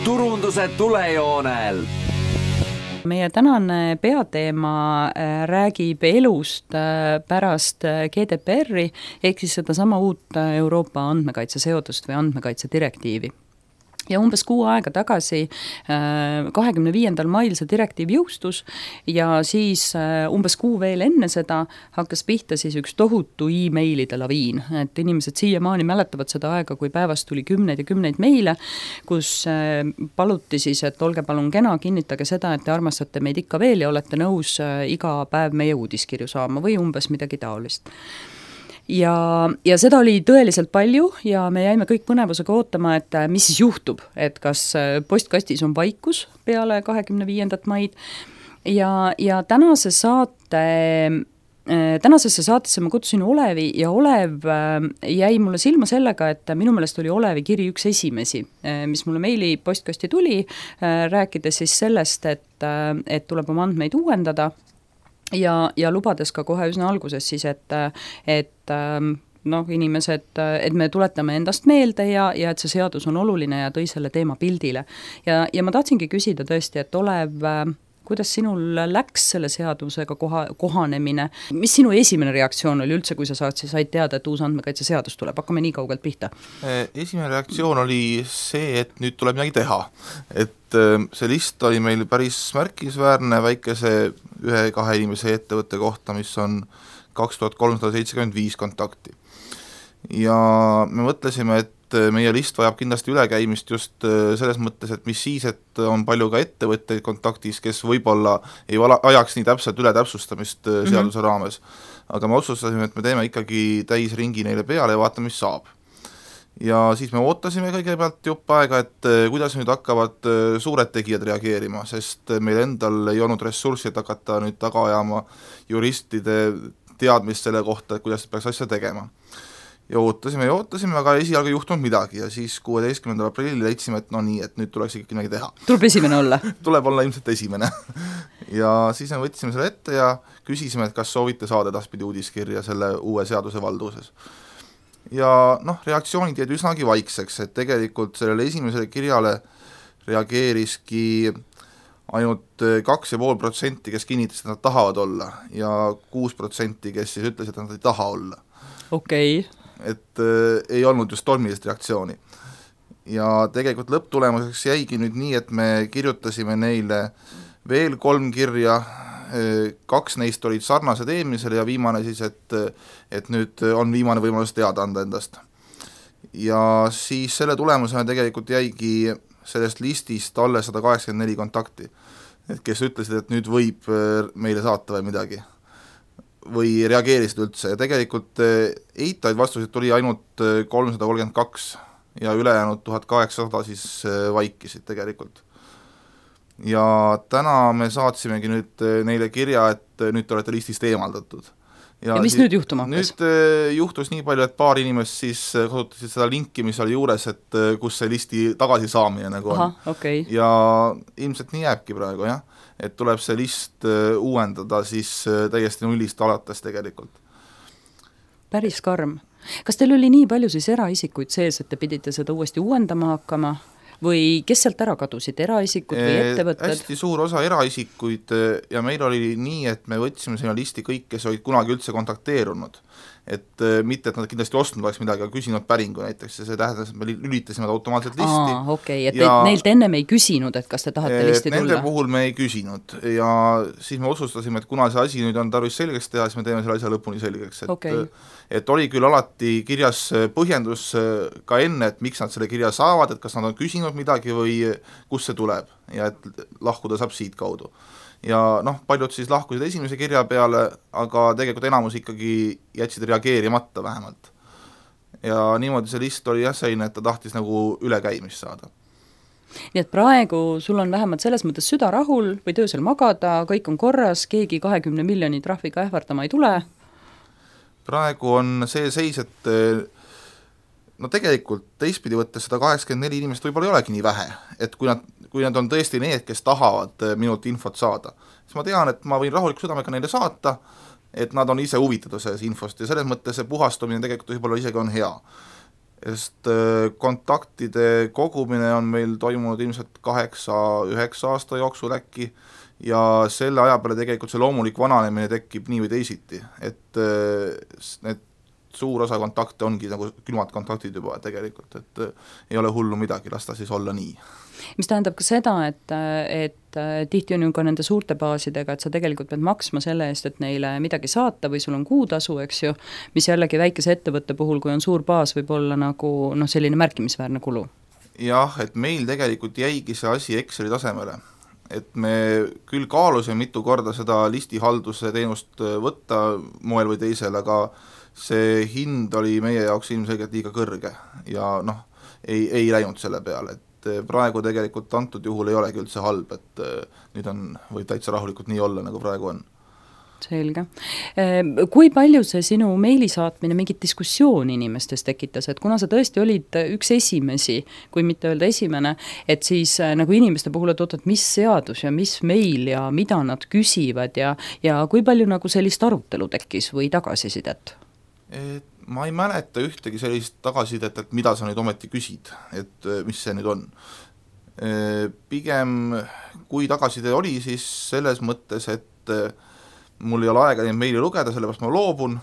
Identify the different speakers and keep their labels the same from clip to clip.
Speaker 1: turunduse tulejoonel.
Speaker 2: Meie tänane peateema räägib elust pärast GDPR-i ehk siis sedasama uut Euroopa andmekaitseseadust või andmekaitse direktiivi. Ja umbes 6 aega tagasi, 25. mail see direktiiv jõustus ja siis umbes 6 veel enne seda hakkas pihta siis üks tohutu e-mailide laviin, et inimesed siiamaani mäletavad seda aega, kui päevast tuli 10 ja 10 meile, kus paluti siis, et olge palun kena, kinnitage seda, et te armastate meid ikka veel ja olete nõus iga päev meie uudiskirju saama või umbes midagi taolist. Ja seda oli tõeliselt palju ja me jäime kõik põnevusega ootama, et mis siis juhtub, et kas postkastis on vaikus peale 25. maid ja tänasesse saatesse ma kutsusin Olevi ja Olev jäi mulle silma sellega, et minu meelest oli Olevi kiri üks esimesi, mis mulle meili postkasti tuli, rääkides siis sellest, et tuleb oma andmeid uuendada. Ja lubades ka kohe üsna alguses siis, et inimesed, et me tuletame endast meelde ja et see seadus on oluline ja tõi selle teema pildile. Ja ma tahtsingi küsida tõesti, et Olev, kuidas sinul läks selle seadusega kohanemine? Mis sinu esimene reaktsioon oli üldse, kui sa said teada, et uus andmekaitse seadus tuleb? Hakkame nii kaugelt pihta.
Speaker 3: Esimene reaktsioon oli see, et nüüd tuleb midagi teha. Et see list oli meil päris märkisväärne väikese 1-2 inimese ettevõtte kohta, mis on 2375 kontakti. Ja me mõtlesime, et meie list vajab kindlasti ülekäimist just selles mõttes, et mis siis, et on palju ka ettevõtteid kontaktis, kes võib-olla ei ajaks nii täpselt üle täpsustamist seaduse raames. Aga me otsustasime, et me teeme ikkagi täisringi neile peale ja vaatame, mis saab. Ja siis me ootasime kõigepealt jupp aega, et kuidas nüüd hakkavad suured tegijad reageerima, sest meil endal ei olnud ressurssi, et hakata nüüd taga ajama juristide teadmist selle kohta, et kuidas peaks asja tegema. Ja ootasime, aga esialgu ei juhtunud midagi ja siis 16. aprillil leidsime, et et nüüd tuleks ikkagi midagi teha.
Speaker 2: Tuleb esimene olla?
Speaker 3: Tuleb olla ilmselt esimene. Ja siis me võtsime selle ette ja küsisime, et kas soovite saada edaspidi uudiskirja selle uue seaduse valduses. Ja reaktsioonid jäid üsnagi vaikseks, et tegelikult sellele esimesele kirjale reageeriski ainult 2,5%, kes kinnitasid, et nad tahavad olla ja 6%, kes siis ütlesid, et nad ei taha olla.
Speaker 2: Okei.
Speaker 3: Et ei olnud just tormilist reaktsiooni. Ja tegelikult lõpptulemuseks jäigi nüüd nii, et me kirjutasime neile veel 3 kirja, 2 neist olid sarnased eelmisele ja viimane siis, et nüüd on viimane võimalus teada anda endast. Ja siis selle tulemusena tegelikult jäigi sellest listist alle 184 kontakti, kes ütlesid, et nüüd võib meile saata või midagi. Või reageerisid üldse ja tegelikult eitaid vastuseid tuli ainult 332 ja ülejäänud 1800 siis vaikisid tegelikult. Ja täna me saatsimegi nüüd neile kirja, et nüüd te olete listist eemaldatud.
Speaker 2: Ja mis nüüd juhtuma hakkas?
Speaker 3: Nüüd juhtus nii palju, et paar inimest siis kasutasid seda linki, mis oli juures, et kus see listi tagasi saamine nagu on.
Speaker 2: Okay.
Speaker 3: Ja ilmselt nii jääbki praegu, jah. Et tuleb see list uuendada siis täiesti nullist alates tegelikult.
Speaker 2: Päris karm. Kas teil oli nii palju siis eraisikuid sees, et te pidite seda uuesti uuendama hakkama? Või kes sealt ära kadusid, eraisikud või ettevõtted?
Speaker 3: Hästi suur osa eraisikuid ja meil oli nii, et me võtsime sinna listi kõik, kes olid kunagi üldse kontakteerunud. Et mitte, et nad kindlasti ostnud oleks midagi, aga küsinud päringu näiteks ja see tähendas, et me lülitasime automaatselt listi.
Speaker 2: Okei, et neilt ennem ei küsinud, et kas te tahate listi tulla?
Speaker 3: Nende puhul me ei küsinud ja siis me otsustasime, et kuna see asi nüüd on tarvis selgeks teha, siis me teeme selle asja lõpuni selgeks. Et oli küll alati kirjas põhjendus ka enne, et miks nad selle kirja saavad, et kas nad on küsinud midagi või kus see tuleb ja et lahkuda saab siit kaudu. Ja paljud siis lahkusid esimese kirja peale, aga tegelikult enamus ikkagi jätsid reageerimata vähemalt. Ja niimoodi see list oli selline, et ta tahtis nagu ülekäimist saada.
Speaker 2: Nii et praegu sul on vähemalt selles mõttes süda rahul või töösel magada, kõik on korras, keegi 20 miljoni trahviga ähvardama ei tule?
Speaker 3: Praegu on see seis, et tegelikult teistpidi võttes 184 inimest võib-olla ei olegi nii vähe, et kui nad on tõesti need, kes tahavad minult infot saada, siis ma tean, et ma võin rahuliku südamega neile saata, et nad on ise huvitatud selles infost ja selles mõttes see puhastumine tegelikult võib-olla isegi on hea. sest kontaktide kogumine on meil toimunud ilmselt 8-9 aasta jooksul äkki ja selle aja peale tegelikult see loomulik vananemine tekib nii või teisiti, et need suur osa kontakte ongi nagu külmad kontaktid juba tegelikult, et ei ole hullu midagi, las ta siis olla nii.
Speaker 2: Mis tähendab ka seda, et tihti on ju ka nende suurte baasidega, et sa tegelikult pead maksma selle eest, et neile midagi saata või sul on kuutasu, eks ju, mis jällegi väikese ettevõtte puhul, kui on suur baas, võib olla nagu selline märkimisväärne kulu.
Speaker 3: Jah, et meil tegelikult jäigi see asi Exceli tasemele, et me küll kaalusime mitu korda seda listihalduse teenust võtta moel või teisel, aga see hind oli meie jaoks ilmselgelt liiga kõrge ja ei läinud selle peale, et praegu tegelikult antud juhul ei olegi üldse halb, et nüüd võib täitsa rahulikult nii olla, nagu praegu on.
Speaker 2: Selge. Kui palju see sinu meili saatmine mingit diskussiooni inimestes tekitas, et kuna sa tõesti olid üks esimesi, kui mitte öelda esimene, et siis nagu inimeste puhul, et oot, mis seadus ja mis meil ja mida nad küsivad ja kui palju nagu sellist arutelu tekkis või tagasisidet?
Speaker 3: Ma ei mäleta ühtegi sellist tagasisidet, et mida sa nüüd ometi küsid, et mis see nüüd on. Pigem kui tagasiside oli, siis selles mõttes, et mul ei ole aega neid meili lugeda, sellepärast ma loobun,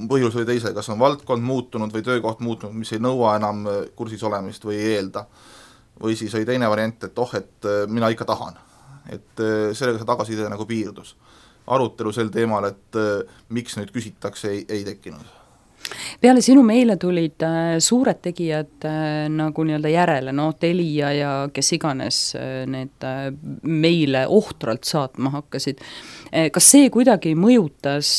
Speaker 3: põhjus või teise, kas on valdkond muutunud või töökoht muutunud, mis ei nõua enam kursis olemist või ei eelda. Või siis oli teine variant, et mina ikka tahan. Et sellega see tagasiside nagu piirdus. Arutelu sel teemal, et miks nüüd küsitakse, ei tekkinud.
Speaker 2: Peale sinu meile tulid suured tegijad nagu nii-öelda järele, Telia ja kes iganes need meile ohtralt saatma hakkasid. Kas see kuidagi mõjutas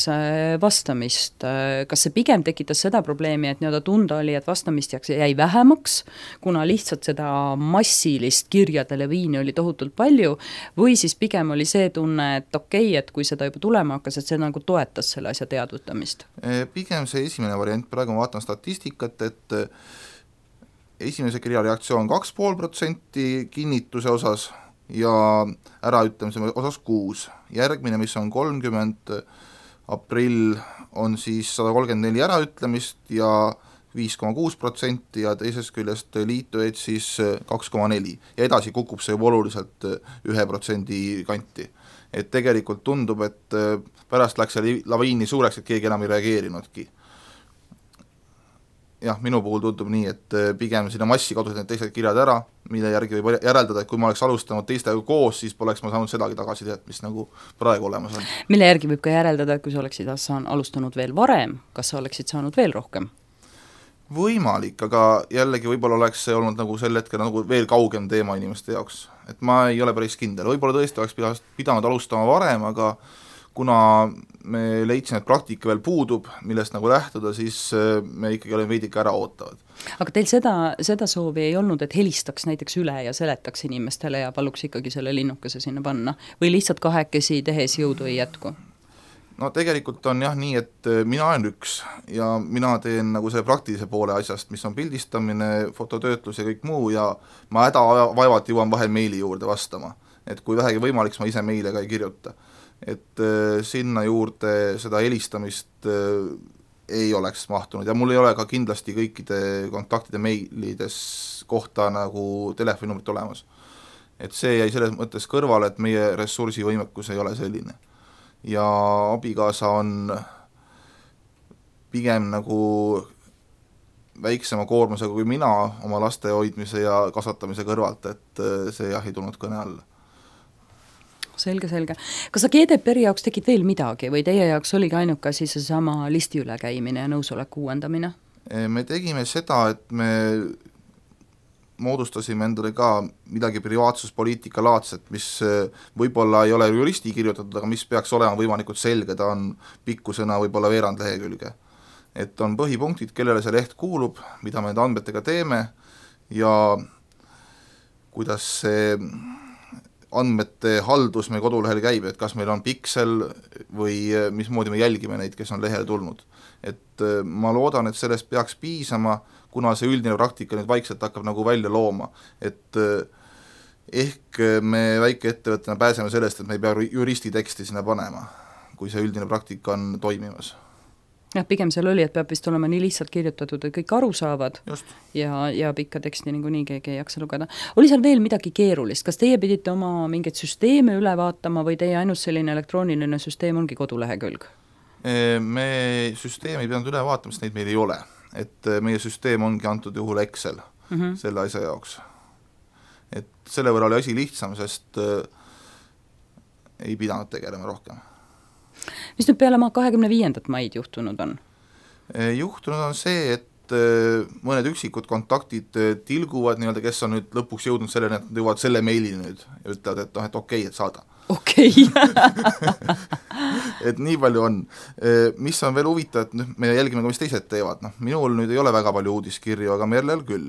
Speaker 2: vastamist? Kas see pigem tekitas seda probleemi, et nii-öelda tunda oli, et vastamist jäi vähemaks, kuna lihtsalt seda massilist kirjade leviini oli tohutult palju, või siis pigem oli see tunne, et okei, et kui seda juba tulema hakkas, et see nagu toetas selle asja teadvutamist?
Speaker 3: Pigem see esimene variant, praegu ma vaatan statistikat, et esimese kirja reaktsioon 2,5% kinnituse osas ja äraütlemise osas 6. Järgmine, mis on 30 aprill, on siis 134 äraütlemist ja 5,6% ja teisest küljest liitujaid siis 2,4 ja edasi kukub see juba oluliselt 1% kanti. Et tegelikult tundub, et pärast läks see laviini suureks, et keegi enam ei reageerinudki. Jah, minu puhul tundub nii, et pigem sinna massi kadusid need teised kirjad ära, mille järgi võib järeldada, et kui ma oleks alustanud teistega koos, siis poleks ma saanud sedagi tagasisidet, mis nagu praegu olemas on.
Speaker 2: Mille järgi võib ka järeldada, et kui sa oleksid alustanud veel varem, kas sa oleksid saanud veel rohkem?
Speaker 3: Võimalik, aga jällegi võib-olla oleks see olnud nagu sel hetkel nagu veel kaugem teema inimeste jaoks. Et ma ei ole päris kindel, võib-olla tõesti oleks pidanud alustama varem, aga kuna me leidsime, et praktika veel puudub, millest nagu lähtuda, siis me ikkagi oleme veidike ära ootavad.
Speaker 2: Aga teil seda soovi ei olnud, et helistaks näiteks üle ja seletaks inimestele ja paluks ikkagi selle linnukese sinna panna? Või lihtsalt kahekesi tehes jõudu ei jätku?
Speaker 3: No tegelikult on jah nii, et mina olen üks ja mina teen nagu selle praktilise poole asjast, mis on pildistamine, fototöötlus ja kõik muu ja ma hädavaevalt jõuan vahel meili juurde vastama. Et kui vähegi võimalik, ma ise meile ka ei kirjuta. Et sinna juurde seda helistamist ei oleks mahtunud ja mul ei ole ka kindlasti kõikide kontaktide meilides kohta nagu telefoninumbrit olemas. Et see jäi selles mõttes kõrvale, et meie ressursivõimekus ei ole selline. Ja abikaasa on pigem nagu väiksema koormusega kui mina oma laste hoidmise ja kasvatamise kõrvalt, et see jah ei tulnud kõne alla.
Speaker 2: Selge. Kas sa GDPR-i jaoks tegid veel midagi või teie jaoks oligi ainuke siis sama listi ülekäimine ja nõusoleku uuendamine?
Speaker 3: Me tegime seda, et me moodustasime endale ka midagi privaatsuspoliitika laadset, mis võib-olla ei ole juristi kirjutatud, aga mis peaks olema võimalikult selge, ta on pikkusena võib-olla veerand lehekülge. Et on põhipunktid, kellele see leht kuulub, mida me nende andmetega teeme ja kuidas see andmete haldus meie kodulehel käib, et kas meil on piksel või mismoodi me jälgime neid, kes on lehele tulnud. Et ma loodan, et sellest peaks piisama, kuna see üldine praktika nüüd vaikselt hakkab nagu välja looma, et ehk me väikeettevõttena pääseme sellest, et me ei pea juristi teksti sinna panema, kui see üldine praktika on toimimas.
Speaker 2: jah, pigem seal oli, et peab vist olema nii lihtsalt kirjutatud, et kõik aru saavad.
Speaker 3: Just.
Speaker 2: Ja pikka teksti nii keegi ei jaksa lugeda. Oli seal veel midagi keerulist? Kas teie pidite oma mingeid süsteeme üle vaatama või teie ainult selline elektrooniline süsteem ongi kodulehekülg?
Speaker 3: Me süsteemi ei pidanud üle vaatama, sest neid meil ei ole. Et meie süsteem ongi antud juhul Excel selle asja jaoks. Et selle võrra oli asi lihtsam, sest ei pidanud tegelema rohkem.
Speaker 2: Mis nüüd peale 25. maid juhtunud on?
Speaker 3: Juhtunud on see, et mõned üksikud kontaktid tilguvad nii-öelda, kes on nüüd lõpuks jõudnud selleni, et nad jõuavad selle meili nüüd ja ütlevad, et okei, et saada.
Speaker 2: Okei.
Speaker 3: Et nii palju on. Mis on veel huvitav, et me jälgime ka, mis teised teevad. Minul nüüd ei ole väga palju uudiskirju, aga Merlel küll.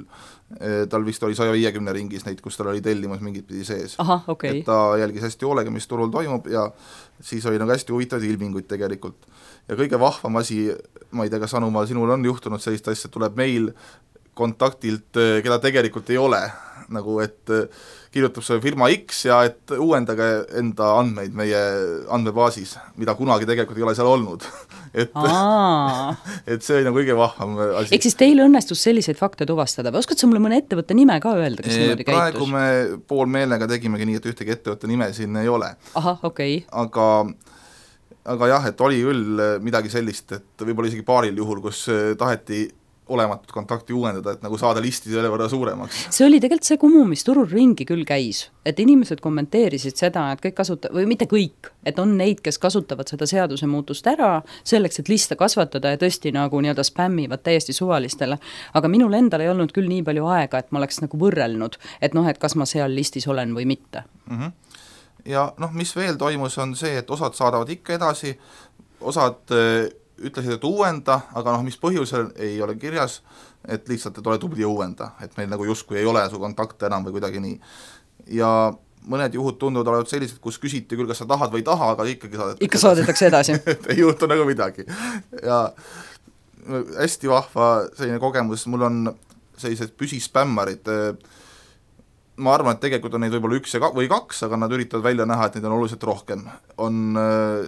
Speaker 3: Tal vist oli 150 ringis neid, kus tal oli tellimus mingit pidi sees.
Speaker 2: Aha, okay.
Speaker 3: Et ta jälgis hästi hoolega, mis turul toimub ja siis oli nagu hästi huvitavaid ilminguid tegelikult. Ja kõige vahvam asi, ma ei tea, kas Anumaal sinul on juhtunud sellist asja, tuleb meil kontaktilt, keda tegelikult ei ole, nagu et kirjutab see firma X ja et uuendage enda andmeid meie andmebaasis, mida kunagi tegelikult ei ole seal olnud. et see oli nagu kõige vahvam asi.
Speaker 2: Ehk siis teil õnnestus selliseid fakte tuvastada või oskad sa mulle mõne ettevõtte nime ka öelda, kes niimoodi käitus?
Speaker 3: Praegu me pool meelega tegimegi nii, et ühtegi ettevõtte nime siin ei ole.
Speaker 2: Aha, okei.
Speaker 3: Aga jah, et oli küll midagi sellist, et võib-olla isegi paaril juhul, kus taheti olematut kontakti uuendada, et nagu saada listi selle võrra suuremaks.
Speaker 2: See oli tegelikult see kumu, mis turul ringi küll käis, et inimesed kommenteerisid seda, et kõik või mitte kõik, et on neid, kes kasutavad seda seaduse muutust ära selleks, et liste kasvatada ja tõesti nagu nii-öelda spämmivad täiesti suvalistele, aga minul endal ei olnud küll nii palju aega, et ma oleks nagu võrrelnud, et et kas ma seal listis olen või mitte.
Speaker 3: Ja mis veel toimus, on see, et osad saadavad ikka edasi, osad ütlesid, et uuenda, aga mis põhjusel ei ole kirjas, et lihtsalt, et ole tubli uuenda, et meil nagu justkui ei ole su kontakte enam või kuidagi nii. Ja mõned juhud tunduvad olevat sellised, kus küsiti küll, kas sa tahad või taha, aga ikkagi
Speaker 2: saadetakse edasi.
Speaker 3: ei juhtu nagu midagi. Ja hästi vahva selline kogemus, mul on sellised püsispämmarid, ma arvan, et tegelikult on neid võib-olla 1 või 2, aga nad üritavad välja näha, et neid on oluliselt rohkem. On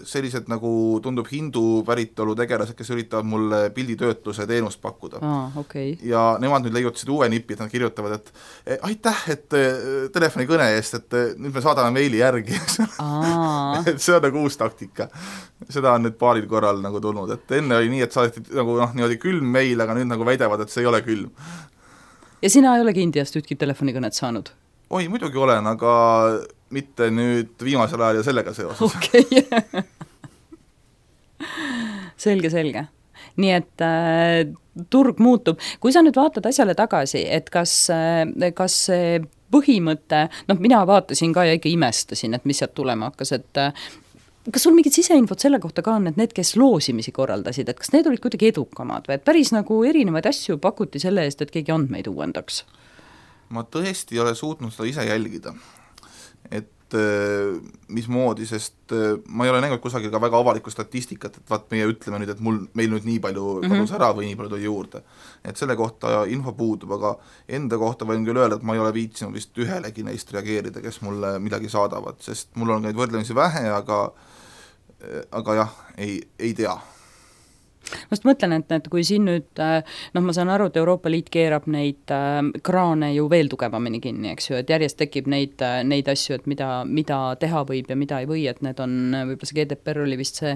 Speaker 3: sellised nagu tundub hindu päritolu tegelased, kes üritavad mulle pilditöötluse teenust pakkuda.
Speaker 2: Okay.
Speaker 3: Ja nemad nüüd leiutasid uue nipi, et nad kirjutavad, et aitäh, et telefonikõne eest, et nüüd me saadame meili järgi. et see on nagu uus taktika. Seda on nüüd paaril korral nagu tulnud, et enne oli nii, et saadeti nagu niimoodi külm meil, aga nüüd nagu väidavad, et see ei ole külm.
Speaker 2: Ja sina ei olegi Indiast ühtki telefonikõnet saanud?
Speaker 3: Oi, muidugi olen, aga mitte nüüd viimasel ajal ja sellega seoses.
Speaker 2: Okei. Selge. Nii et turg muutub. Kui sa nüüd vaatad asjale tagasi, et kas see põhimõte, mina vaatasin ka ja ikka imestasin, et mis sealt tulema hakkas, et kas sul mingid siseinfot selle kohta ka on, et need, kes loosimisi korraldasid, et kas need olid kuidagi edukamad või et päris nagu erinevaid asju pakuti selle eest, et keegi andmeid uuendaks?
Speaker 3: Ma tõesti ei ole suutnud seda ise jälgida, et mismoodi, sest ma ei ole näinud kusagil ka väga avalikku statistikat, et vaat meie ütleme nüüd, et meil nüüd nii palju kadus ära või nii palju tuli juurde. Et selle kohta info puudub, aga enda kohta võin küll öelda, et ma ei ole viitsinud vist ühelegi neist reageerida, kes mulle midagi saadavad, sest mul on neid võrdlemisi vähe, aga jah, ei tea.
Speaker 2: Ma just mõtlen, et kui siin nüüd, ma saan aru, et Euroopa Liit keerab neid kraane ju veel tugevamini kinni, eks ju, et järjest tekib neid asju, et mida teha võib ja mida ei või, et need on, võib-olla see GDPR oli vist see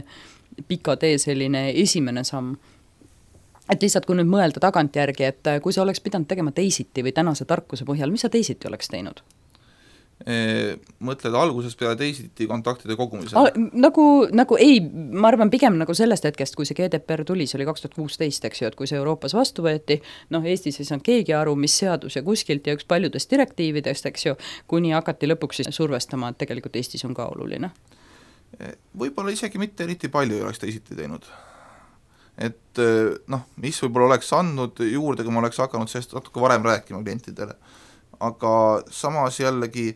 Speaker 2: pika tee selline esimene samm. Et lihtsalt, kui nüüd mõelda tagantjärgi, et kui sa oleks pidanud tegema teisiti või tänase tarkuse põhjal, mis sa teisiti oleks teinud?
Speaker 3: Mõtled alguses peale teisiti kontaktide kogumisel?
Speaker 2: Nagu ei, ma arvan pigem nagu sellest hetkest, kui see GDPR tuli, see oli 2016, eks ju, et kui see Euroopas vastu võeti, Eestis ei saanud keegi aru, mis seadus ja kuskilt ja üks paljudest direktiividest, eks ju, kuni hakati lõpuks survestama, et tegelikult Eestis on ka oluline.
Speaker 3: Võib-olla isegi mitte eriti palju ei oleks teisiti teinud. Et mis võib-olla oleks andnud juurde, kui ma oleks hakanud sellest natuke varem rääkima klientidele. Aga samas jällegi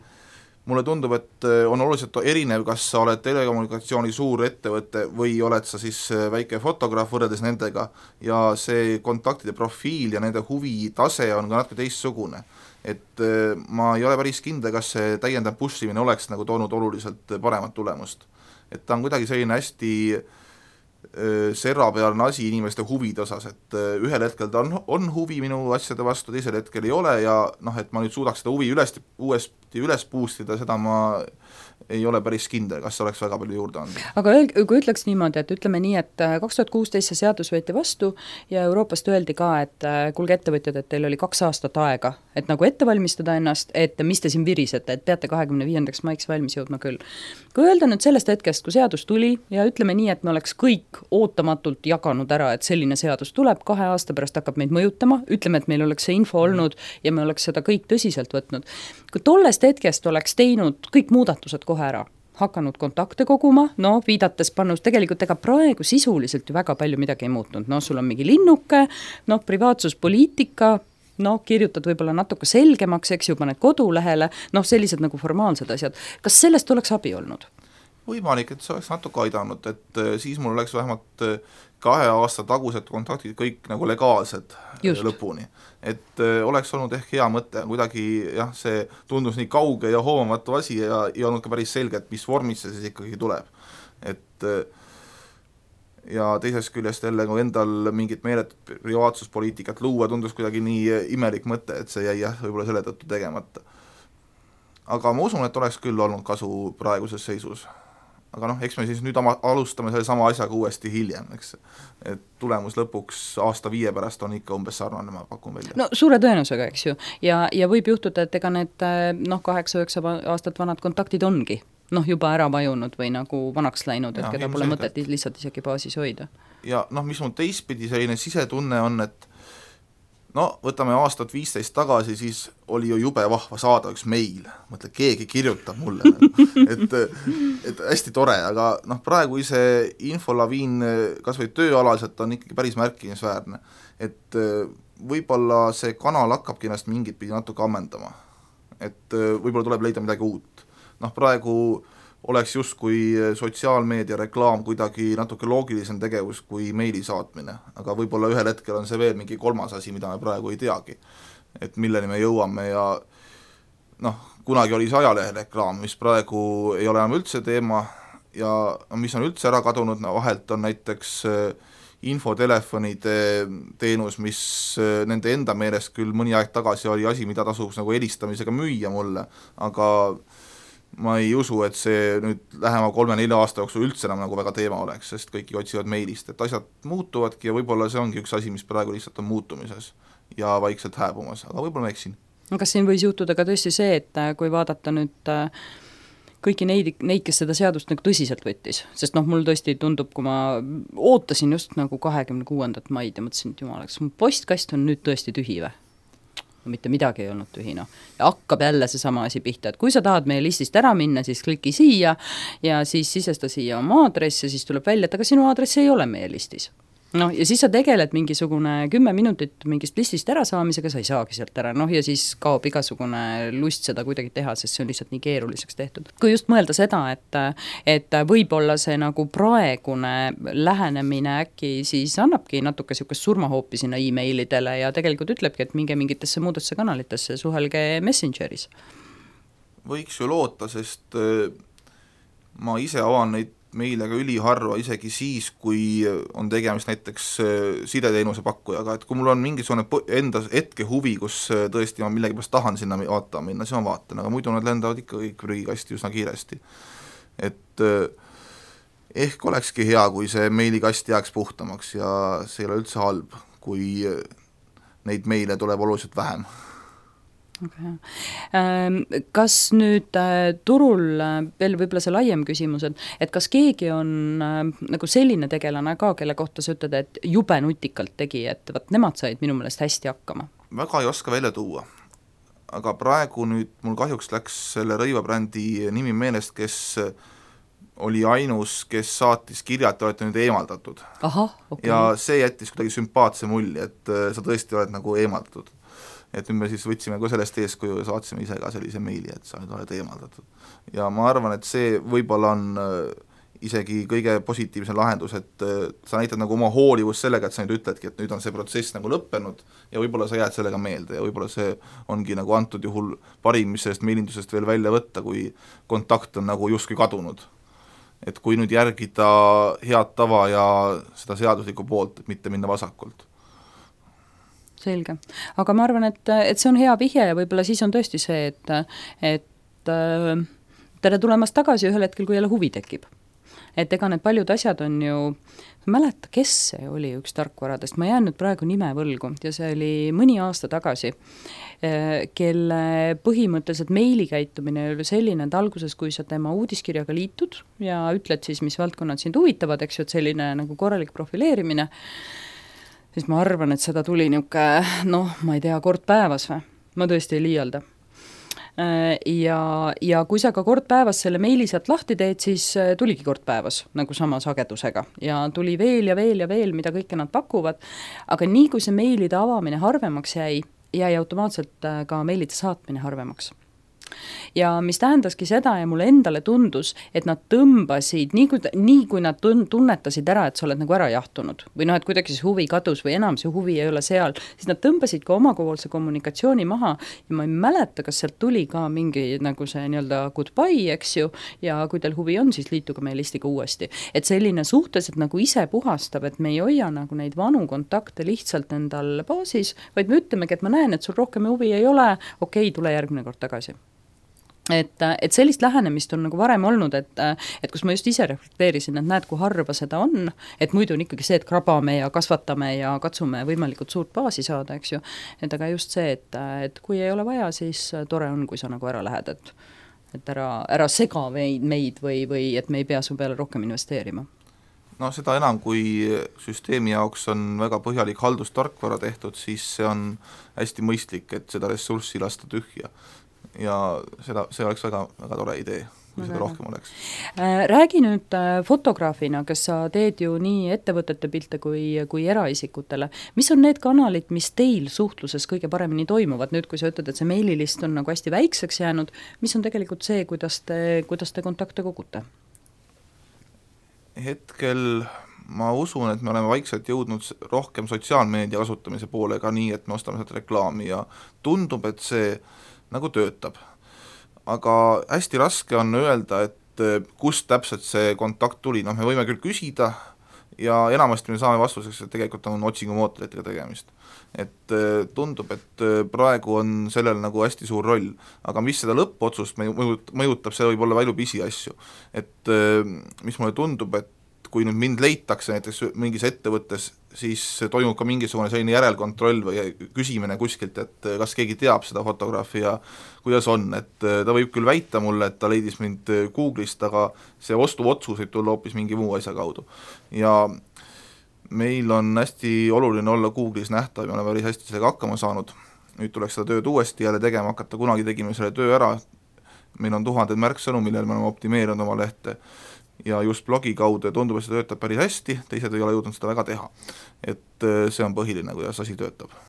Speaker 3: mulle tundub, et on oluliselt erinev, kas sa oled telekommunikatsiooni suur ettevõte või oled sa siis väike fotograaf võrreldes nendega ja see kontaktide profiil ja nende huvitase on ka natuke teistsugune. Et ma ei ole päris kindel, kas see täiendav pushimine oleks nagu toonud oluliselt paremat tulemust. Et ta on kuidagi selline hästi servapealne asi inimeste huvide osas, et ühel hetkel ta on huvi minu asjade vastu, teisel hetkel ei ole ja noh, et ma nüüd suudaks seda huvi uuesti üles boostida, seda ma ei ole päris kindel, kas oleks väga palju juurde andnud.
Speaker 2: Aga kui ütleks niimoodi, et ütleme nii, et 2016 see seadus võeti vastu ja Euroopast öeldi ka, et kuulge ettevõtjad, et teil oli 2 aastat aega, et nagu ette valmistada ennast, et mis te siin virisete, et peate 25. maiks valmis jõudma küll. Kui öelda nüüd sellest hetkest, kui seadus tuli ja ütleme nii, et me oleks kõik ootamatult jaganud ära, et selline seadus tuleb, 2 aasta pärast hakkab meid mõjutama, ütleme, et meil oleks see info olnud ja me oleks seda kõik tõsiselt võtnud. Kui tollest hetkest oleks teinud kõik muudatused kohe ära, hakanud kontakte koguma, no viidates pannus, tegelikult ega praegu sisuliselt ju väga palju midagi ei muutnud, no sul on mingi linnuke, no privaatsuspoliitika, no kirjutad võib-olla natuke selgemaks, eks ju, paned kodulehele, noh sellised nagu formaalsed asjad. Kas sellest oleks abi olnud?
Speaker 3: Võimalik, et see oleks natuke aidanud, et siis mul oleks vähemalt 2 aasta tagused kontaktid kõik nagu legaalsed lõpuni. Et oleks olnud ehk hea mõte, kuidagi jah, see tundus nii kauge ja hoomamatu asi ja ei olnud ka päris selge, et mis vormis see siis ikkagi tuleb. Et ja teisest küljest jälle kui endal mingit meeletut privaatsuspoliitikat luua tundus kuidagi nii imelik mõte, et see jäi jah, võib-olla selle tõttu tegemata. Aga ma usun, et oleks küll olnud kasu praeguses seisus. Aga noh, eks me siis nüüd alustame selle sama asjaga uuesti hiljem, eks. Et tulemus lõpuks aasta 5 pärast on ikka umbes sarnane, ma pakun välja.
Speaker 2: No suure tõenäosusega, eks ju. Ja võib juhtuda, et ega need 8-9 aastat vanad kontaktid ongi juba ära vajunud või nagu vanaks läinud, et keda pole mõtet lihtsalt isegi baasis hoida. Ja
Speaker 3: mis mul teistpidi selline sisetunne on, et võtame aastat 15 tagasi, siis oli ju jube vahva saada üks meil, mõtle, keegi kirjutab mulle, et hästi tore, aga praegu see infolaviin kas või tööalaselt on ikkagi päris märkimisväärne, et võib-olla see kanal hakkabki ennast mingit pidi natuke ammendama, et võib-olla tuleb leida midagi uut. Praegu oleks just kui sotsiaalmeedia reklaam kuidagi natuke loogilisem tegevus kui meili saatmine, aga võib-olla ühel hetkel on see veel mingi 3. asi, mida me praegu ei teagi, et milleni me jõuame ja kunagi oli see ajalehe reklaam, mis praegu ei ole enam üldse teema ja mis on üldse ära kadunud, vahelt on näiteks infotelefonide teenus, mis nende enda meelest küll mõni aeg tagasi oli asi, mida tasuks nagu helistamisega müüa mulle, aga ma ei usu, et see nüüd lähema 3-4 aasta jooksul üldse enam nagu väga teema oleks, sest kõiki otsivad meilist, et asjad muutuvadki ja võib-olla see ongi üks asi, mis praegu lihtsalt on muutumises ja vaikselt hääbumas, aga võib-olla ma eksin.
Speaker 2: Kas siin võis juhtuda ka tõesti see, et kui vaadata nüüd kõiki neid, kes seda seadust nagu tõsiselt võttis, sest mul tõesti tundub, kui ma ootasin just nagu 26. maid ja mõtlesin, et jumalaks, mu postkast on nüüd tõesti tühi või? Mitte midagi ei olnud tühi, ja hakkab jälle see sama asi pihta, et kui sa tahad meie listist ära minna, siis kliki siia ja siis sisesta siia oma aadress ja siis tuleb välja, et aga sinu aadress ei ole meie listis. Ja siis sa tegeled mingisugune 10 minutit mingist listist ära saamisega, sa ei saagi sealt ära, ja siis kaob igasugune lust seda kuidagi teha, sest see on lihtsalt nii keeruliseks tehtud. Kui just mõelda seda, et võib-olla see nagu praegune lähenemine äkki siis annabki natuke sihukest surmahoopi sinna e-mailidele ja tegelikult ütlebki, et minge mingitesse muudesse kanalitesse, suhelge Messengeris.
Speaker 3: Võiks ju loota, sest ma ise avan neid meile ka üliharva, isegi siis, kui on tegemist näiteks sideteenuse pakkujaga, et kui mul on mingisugune enda hetke huvi, kus tõesti ma millegipärast tahan sinna vaatama minna, siis ma vaatan, aga muidu nad lendavad ikka kõik prügikasti üsna kiiresti. Et ehk olekski hea, kui see meilikast jääks puhtamaks ja see ei ole üldse halb, kui neid meile tuleb oluliselt vähem.
Speaker 2: Okay. Kas nüüd turul veel võib-olla see laiem küsimus, et kas keegi on nagu selline tegelane ka, kelle kohta sa ütled, et jube nutikalt tegi, et nemad said minu meelest hästi hakkama?
Speaker 3: Väga ei oska välja tuua, aga praegu nüüd mul kahjuks läks selle rõivabrändi nimi meelest, kes oli ainus, kes saatis kirja, et olete nüüd eemaldatud.
Speaker 2: Aha, okay.
Speaker 3: Ja see jättis kuidagi sümpaatse mulje, et sa tõesti oled nagu eemaldatud. Et nüüd me siis võtsime ka sellest eeskuju ja saatsime ise ka sellise meili, et sa nüüd oled eemaldatud. Ja ma arvan, et see võib-olla on isegi kõige positiivsem lahendus, et sa näitad nagu oma hoolivust sellega, et sa nüüd ütledki, et nüüd on see protsess nagu lõppenud ja võib-olla sa jääd sellega meelde ja võib-olla see ongi nagu antud juhul parim, mis sellest meilindusest veel välja võtta, kui kontakt on nagu justkui kadunud. et kui nüüd järgida head tava ja seda seaduslikku poolt, et mitte minna vasakult.
Speaker 2: Selge. Aga ma arvan, et see on hea vihje ja võib-olla siis on tõesti see, et tere tulemast tagasi ühel hetkel, kui jälle huvi tekib. Et ega need paljud asjad on ju, ma mäleta, kes see oli üks tarkvaradest, ma jään nüüd praegu nime võlgu ja see oli mõni aasta tagasi, kelle põhimõtteliselt meilikäitumine oli selline, et alguses, kui sa tema uudiskirjaga liitud ja ütled siis, mis valdkonnad sind huvitavad, eks ju, et selline nagu korralik profileerimine, siis ma arvan, et seda tuli niisugune, ma ei tea, kord päevas või? Ma tõesti ei liialda. Ja kui sa ka kord päevas selle meili sealt lahti teed, siis tuligi kord päevas nagu sama sagedusega ja tuli veel ja veel ja veel, mida kõike nad pakuvad, aga nii kui see meilide avamine harvemaks jäi automaatselt ka meilide saatmine harvemaks. Ja mis tähendaski seda ja mulle endale tundus, et nad tõmbasid, nii kui nad tunnetasid ära, et sa oled nagu ära jahtunud või et kuidagi see huvi kadus või enam see huvi ei ole seal, siis nad tõmbasid ka omapoolse kommunikatsiooni maha ja ma ei mäleta, kas sealt tuli ka mingi nagu see nii-öelda goodbye, eks ju, ja kui teil huvi on, siis liituge meie listiga uuesti. Et selline suhteliselt nagu ise puhastab, et me ei hoia nagu neid vanu kontakte lihtsalt endal baasis, vaid me ütlemegi, et ma näen, et sul rohkem huvi ei ole, okei, tule järgmine kord tagasi. Et sellist lähenemist on nagu varem olnud, et kus ma just ise reflekteerisin, et näed, kui harva seda on, et muidu on ikkagi see, et krabame ja kasvatame ja katsume võimalikult suurt baasi saada, eks ju, et aga just see, et kui ei ole vaja, siis tore on, kui sa nagu ära lähed, et ära sega meid või et me ei pea su peale rohkem investeerima.
Speaker 3: No seda enam, kui süsteemi jaoks on väga põhjalik haldustarkvara tehtud, siis see on hästi mõistlik, et seda ressurssi lasta tühja. Ja see oleks väga, väga tore idee, kui seda rohkem oleks.
Speaker 2: Räägi nüüd fotograafina, kes sa teed ju nii ettevõtete pilte kui eraisikutele. Mis on need kanalid, mis teil suhtluses kõige paremini toimuvad? Nüüd, kui sa ütled, et see meililist on nagu hästi väikseks jäänud, mis on tegelikult see, kuidas te kontakte kogute?
Speaker 3: Hetkel ma usun, et me oleme vaikselt jõudnud rohkem sotsiaalmeedia kasutamise poole ka nii, et me ostame sealt reklaami ja tundub, et see nagu töötab. Aga hästi raske on öelda, et kust täpselt see kontakt tuli, me võime küll küsida ja enamasti me saame vastuseks, et tegelikult on otsingumootoritega tegemist. Et tundub, et praegu on sellel nagu hästi suur roll, aga mis seda lõppotsust mõjutab, see võib olla palju pisiasju. Et mis mulle tundub, et kui nüüd mind leitakse näiteks mingis ettevõttes, siis toimub ka mingisugune selline järelkontroll või küsimine kuskilt, et kas keegi teab seda fotograafi ja kuidas on, et ta võib küll väita mulle, et ta leidis mind Google'ist, aga see ostuotsus võib tulla hoopis mingi muu asja kaudu. Ja meil on hästi oluline olla Google'is nähtav ja me oleme päris hästi sellega hakkama saanud. Nüüd tuleks seda tööd uuesti jälle tegema hakata, kunagi tegime selle töö ära, meil on 1000 märksõnu, millel me oleme optimeerinud oma lehte ja just blogi kaudu ja tundub, et see töötab päris hästi, teised ei ole jõudnud seda väga teha. Et see on põhiline, kuidas asi töötab.